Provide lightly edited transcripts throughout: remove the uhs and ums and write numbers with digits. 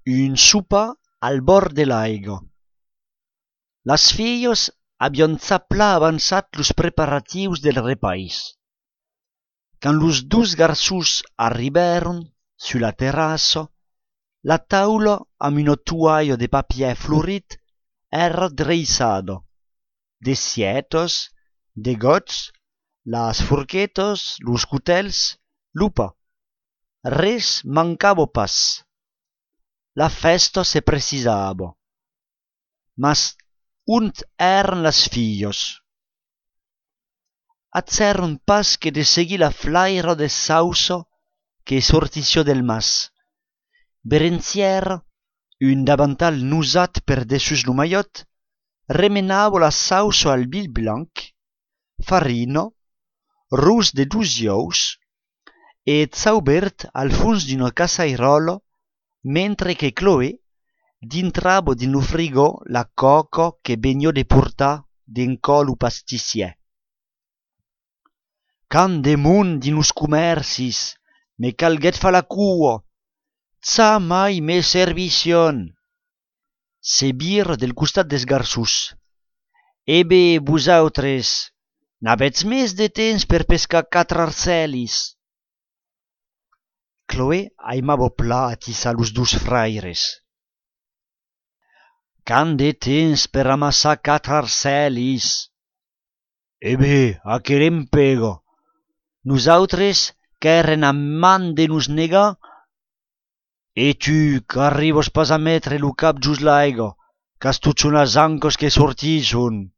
Un sopa al bord de l'aigua. Las filles habían zapla avançat los preparatius del repais. Quand los dos garçons arribaron sur la terrassa, la taula amb una toalla de papier florit era dreissada. De sietos, de gots, las forquetas, los cutels, lupa. Res mancava pas. La festa se precisava. Mas ont eran las filles? Azzeron pas que de seguir la flaira de sausa que sortissió del mas. Berenziera, un davantal nusat per dessus lo maiot, remenava la sausa al bil blanc, farina, rus de 2 ous e zaubert al fons d'una casairola, mentre que Chloé dintrava din lo frigo la coca que vegnió de portar d'encò lo pastissier. Can de mont din los comercis, me calguet fa la cua, ça mai me servicion. Se bir del costat des garçons. E bé, vosautres, n'avètz més de temps per pescar 4 arcelis. Chloé aimava pla atissar los 2 fraires. Can de temps per amassar 4 arcelis. E bé, a querem pega. Nosaltres qu'eren a man de nos negar, e tu qu'arribes pas a metre lo cap just l'aigua, qu'as tot son as ancos que sortison.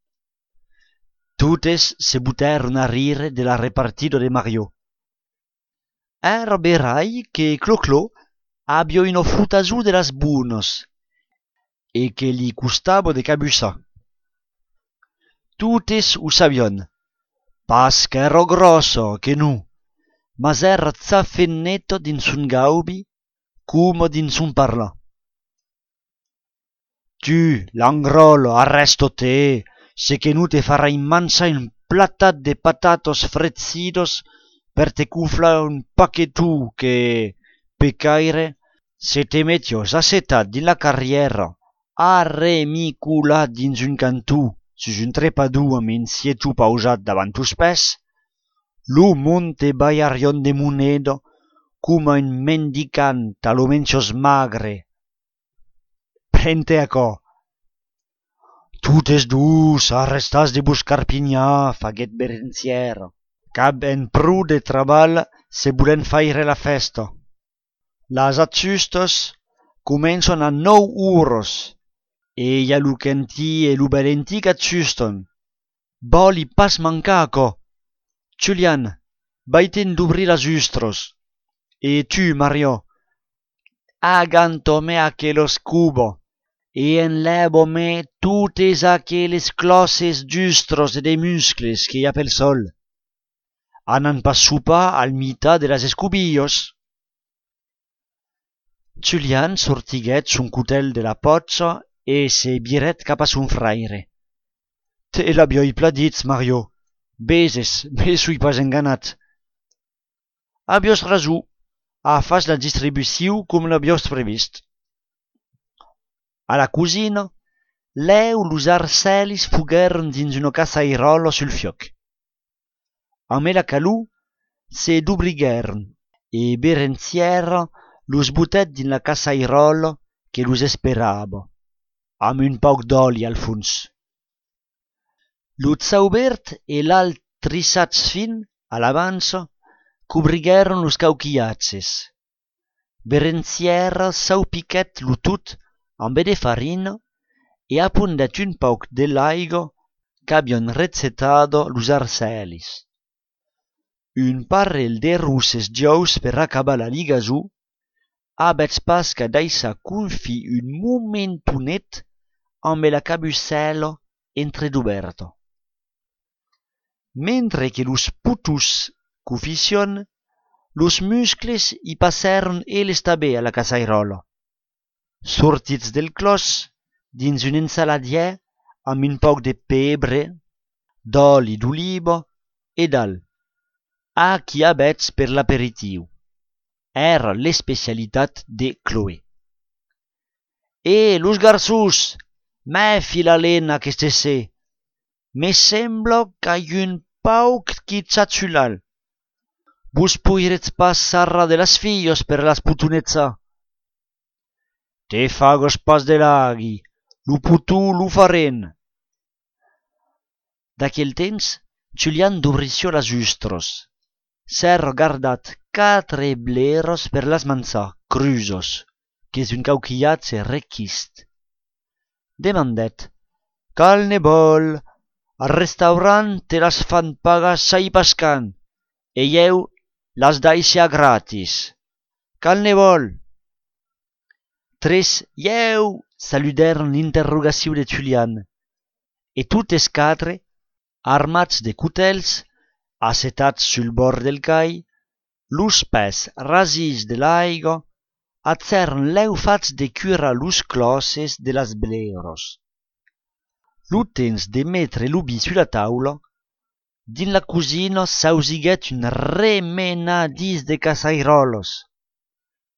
Totes se butèron a rire de la repartida de Mario. Era berai que Clo-Clo abbia una frutazù de las buonas e que li costava de cabussar. Totes ho sabion, pas qu'era grossa que non, mas era zafenneta din son gaubi, come din son parlar. Tu, l'angrolo, arresto te, se che nu te farai mansa un platat de patatos frezzidos per te cufla un paquetù che, pecaire, se te mettios assetat din la carriera, arremiculat dins un cantù, sus un trepadù amb un sietu pausat davant tos pès, lo mont te baiarion de moneda coma un mendicant a lo mencios magre. Prente acò. Totes dus arrestas de buscar pignà, faguet Berenziera, qu'ab en prou de treball se volen faire la festa. Las atzustas començan a 9 horas, e ja lo quentí e lo belentí qu'atzustan. Voli pas mancar acò. Julian, vaiten d'obrir las ustros. E tu, Mario, agantome aquelos cubo, e enlèvo-me totes aqueles closses d'ustros e de muscles que hi ha pel sol. Anan pas sopar al mitat de las escobillos. Julian sortiguet son cutel de la potxa e se viret cap a son fraire. Te l'abioi pla ditz, Mario. Beses, me sui pas enganat. Abios rasù, a fas la distribuciu com l'abios previst. A la cosina, leu los arcelis fugueron dins una casairola sul fioc. A me la calù se d'obrigueron e Berenziera los butet din la casairola que los esperava, amb un pauc d'oli al fons. Lo zaubert e l'alt trissats fin, a l'avança, cobrigueron los cauquiatzes. Berenziera saupiquet lo tut amb de farina e apundet un pauc de l'aigua qu'abian recetado los arcelis. Un parell de russes giaus per acabar la ligazù, abets pas ca daissa confi un momentonet amb la cabussela entreduberta. Mentre que los putus cufición, los muscles hi passeron eles tabè a la casairola. Sortits del clos, dins un ensaladier amb un pauc de pebre, d'oli d'oliva e d'al. Qui abets per l'aperitiu. Era l'especialitat de Chloé. Los garçons, mefi la lena qu'este se. Me sembla qu'a un pauc qui txatxulal. Vos poiretz pas sarra de las fillos per las putunetza. Te fagos pas de laghi, lu putu lu faren. D'aquel temps, Julian d'obrició las ustros. S'è regardat 4 bleros per las manzar, crusos, qu'es un cauquillatge requist. Demandet, cal ne vol, al restaurant te las fan pagar sai pascan, e jeu las daisia gratis. Cal ne vol? Tres jeu saludèron l'interrogaciu de Julian, e totes 4, armats de cutèls, assetats sul bord del cai, los pès rasis de l'aiga, atzèron lèu fats de curar los closses de las bleros. Lo temps de metre lo bi sulla taula, din la cosina s'ausiguèt un remenadís de casairolos.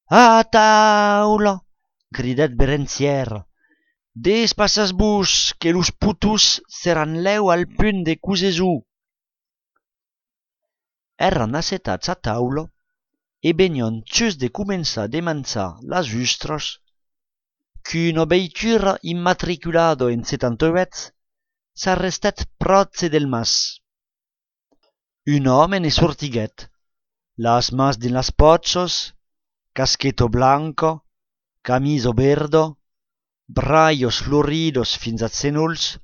A taula! Cridèt Berenziera. Despassas-vos, que los putus seran lèu al punt de cosesù. Èran assetats a taula e benion txus de començar de manzar las ustros qu'una veitura immatriculado en 78 s'arrestèt pròche del mas. Un home ne sortiguèt, las mas din las potxos, caschetto blanco, camiso verdo, braios floridos fins a zenolls,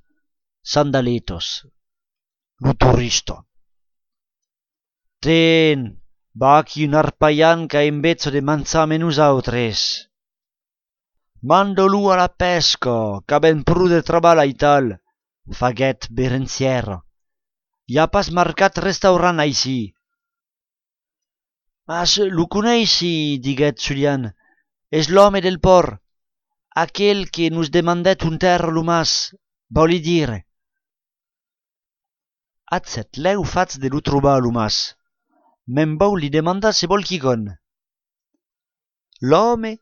sandaletos. Lo turista. Ten, bachi un arpaian ca in vezzo de manzame nusautres. Mando lu a la pesca, ca ben pru de trabal aital, faguèt Berenziera. I ha pas marcat restaurant aicí. Mas lo coneissi, diguèt Julian, és l'home del port, aquel que nos demandèt un terra lo mas, voli dire. Atzet lèu fats de lo trobar lo mas, men vau li demandar se vol quicon. L'home,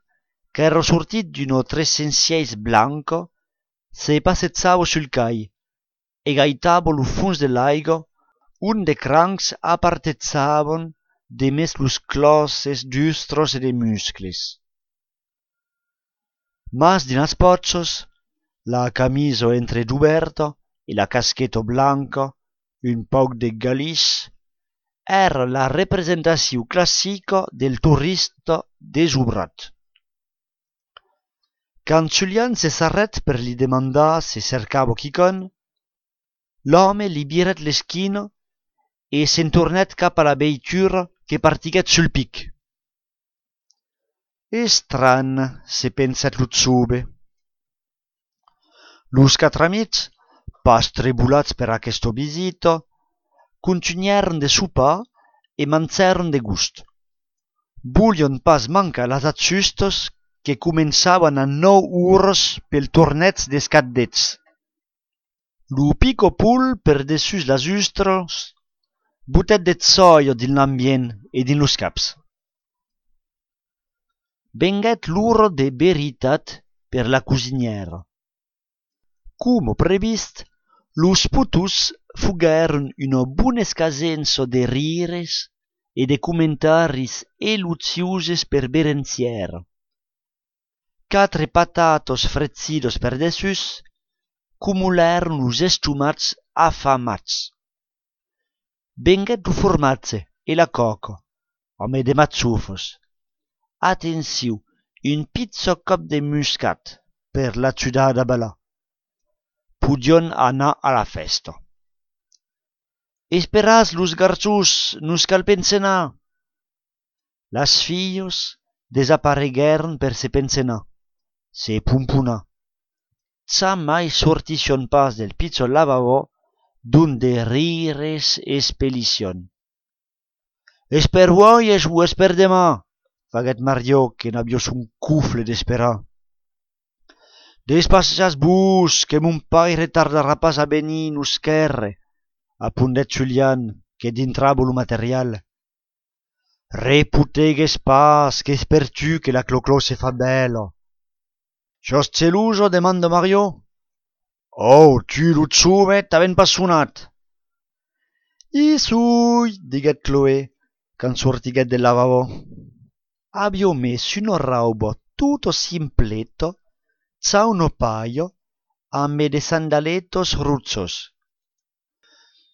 qu'era sortit d'un 306 blanco, se passezzava sul cai e gaitava lo fons de l'aiga, un de crancs apartezzavan de mes los closses d'ustros e de muscles. Mas din las potxos, la camiso entreduberta e la caschetto blanca, un pauc de galis, era la representació classica del turista desobrat. Quand Julian se s'arrèt per li demandar se cercava quicon, l'home li viret l'esquina e se'n tornèt cap a la veitura que partiguèt sul pic. Estran, se pensèt lo zobe. Los 4 amics, pas trebulats per aquesta visita, continuèron de sopar e manzèron de gust. Volion pas mancar las ajustos que començavan a 9 ores pel torneig des caddets. Lo pico pul per dessus las ustros butèt de soia din l'ambient e din los caps. Venguèt l'ora de veritat per la cosinièra. Como previst, los putus fuguèron una bona escasença de rires e de comentaris eluziuses per Berenziera. 4 patatos frezzidos per dessus cumulèron los estomats afamats. Venguèt lo formatge e la coca, home de mazzufos. Atensiu, un pizzo cop de muscat per la ciudada bala. Pudion anar a la festa. Esperaz los garçons, nos cal pensenar. Las fillos desapareguèron per se pensenar, se pumpunar. Jamais sortission pas del pizzo lavabo d'un de rires espelición. Esper uoies o esper demà, faguèt Mario, que n'aviós un cufle d'esperar. Despassas-vos, que mon pai retardarà pas a venir nos quèrre, apondèt Julian, que dintrava lo material. Reputegues pas, qu'es per tu que la cloclò se fa bela. Sos geloso? Demanda Mario. Oh, tu lo xumet, t'aven pas sonat. I sui, diguet Chloé, quand sortiguet del lavabo. Abbiamo messo un raubo tutto simpleto, c'ha un paio, a me de sandaletos ruzzos.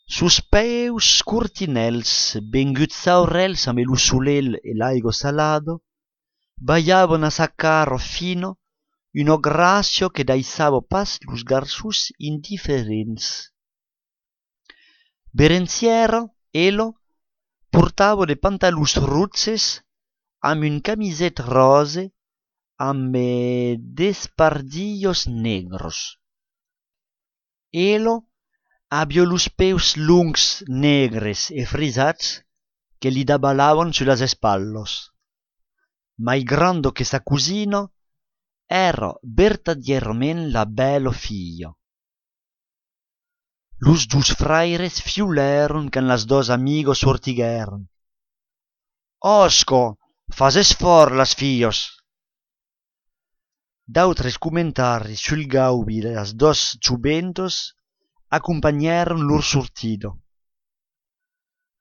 Sus peus curtinels, benguts aurels a me lo sulel e l'aigo salado, baiavan a saccaro fino, uno gracio che daisavo pas los garçus indifferents. Berenziero, elo, portavo de pantalus ruzzes, amb un camiset rose, amb despardillos negros. Elo abbia los peus lungs, negres e frisats che li dabalavan su las espallos. Malgrando che sa cusino era vertadierament la bello figlio. Los dus fraires fiuleron quand las dos amigos sortigueron. Osco, fases for las fillos. D'autres comentaris sul gaubi de las dos juventos accompagnaron lor sortido.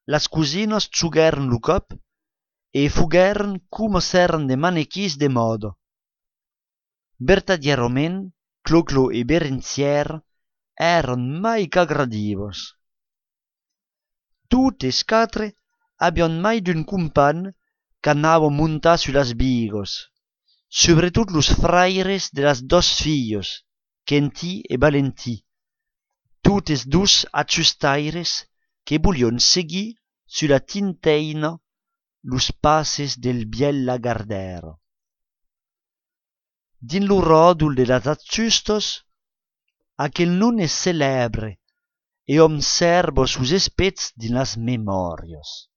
Las cusinos xugueron lo cop e fugueron como s'eran de manequis de modo. Vertadierament, Clo-Clo e Berenzier eran mai qu'agradivos. Totes quatre abian mai d'un compan qu'anava montar su las bigos, sobretot los fraires de las dos fillos, Quentí e Valentí, totes dus acciustaires que volion seguir su la tinteina los passes del biel lagardero. Din lo rodul de las acciustos, aquel non es celebre e observo sus espets din las memorios.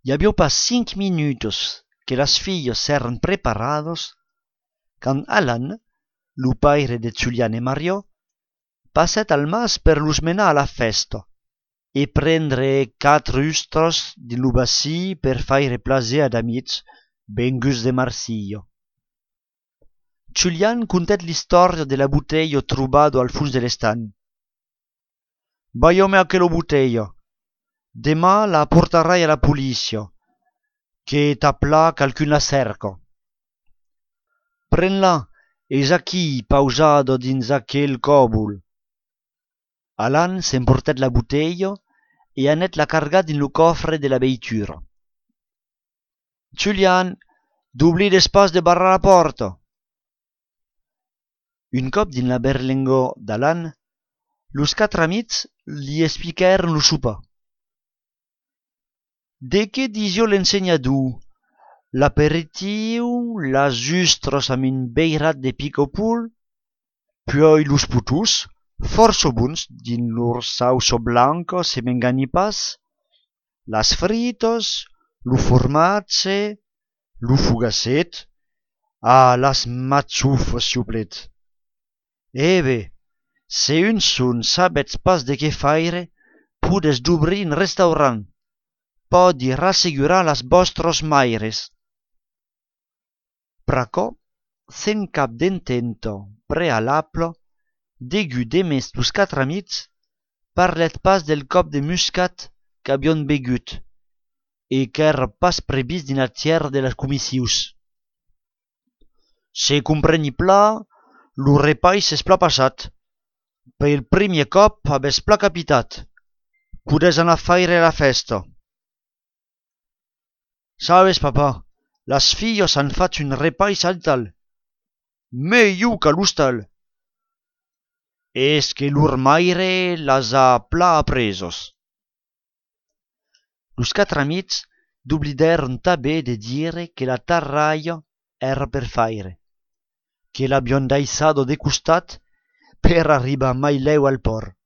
Y había pas 5 minutos que las fillos s'eran preparados, quand Alan, lo paire de Julian e Mario, passet al mas per los menar a la festa e prendre 4 ustros di lo bassi per faire plaser ad amics venguts de Marsillo. Julian contet l'istoria de la bouteille trobado al fons de l'estan. Baiome aquella bouteille. Demà la portarai a la policia, que t'aplà qualcun la cerca. Pren-la, és aquí, pausado dins aquel còbul. Alan s'emportet la bouteille e anet la carga din lo cofre de la veitura. Julian, d'oblir despas de barrar la porta. Un cop din la berlingo d'Alan, los 4 amics li expliquèron lo sopar. De què disio l'ensenyador? L'aperitiu, las ustros amb un beirat de picopul, puis los putus, força bons din lor sauso blanca, se m'engani pas, las fritos, lo formatge, lo fugacet, las matxufes, siuplet. Ebe, se un son sabets pas de què faire, pudes d'obrir un restaurant. Podi rassegurar las vostros maires. Pracò, sen cap d'intento prealable, degu demest los 4 amics, parlet pas del cop de muscat qu'abion begut, e qu'èra pas previst din la tièra de las comissius. Se compreni pla, lo repai s'es pla passat. Pel primier cop abès pla capitat. Pudes anar a faire la festa. Sabes, papa, las fillos han fatto un repai saltal. Meglio que l'hostal. Es que lur maire las ha pla apresos. Los 4 amics d'oblideron també de dire que la tarraia era per faire, que l'abbion daissado de costat per arribar mai leu al port.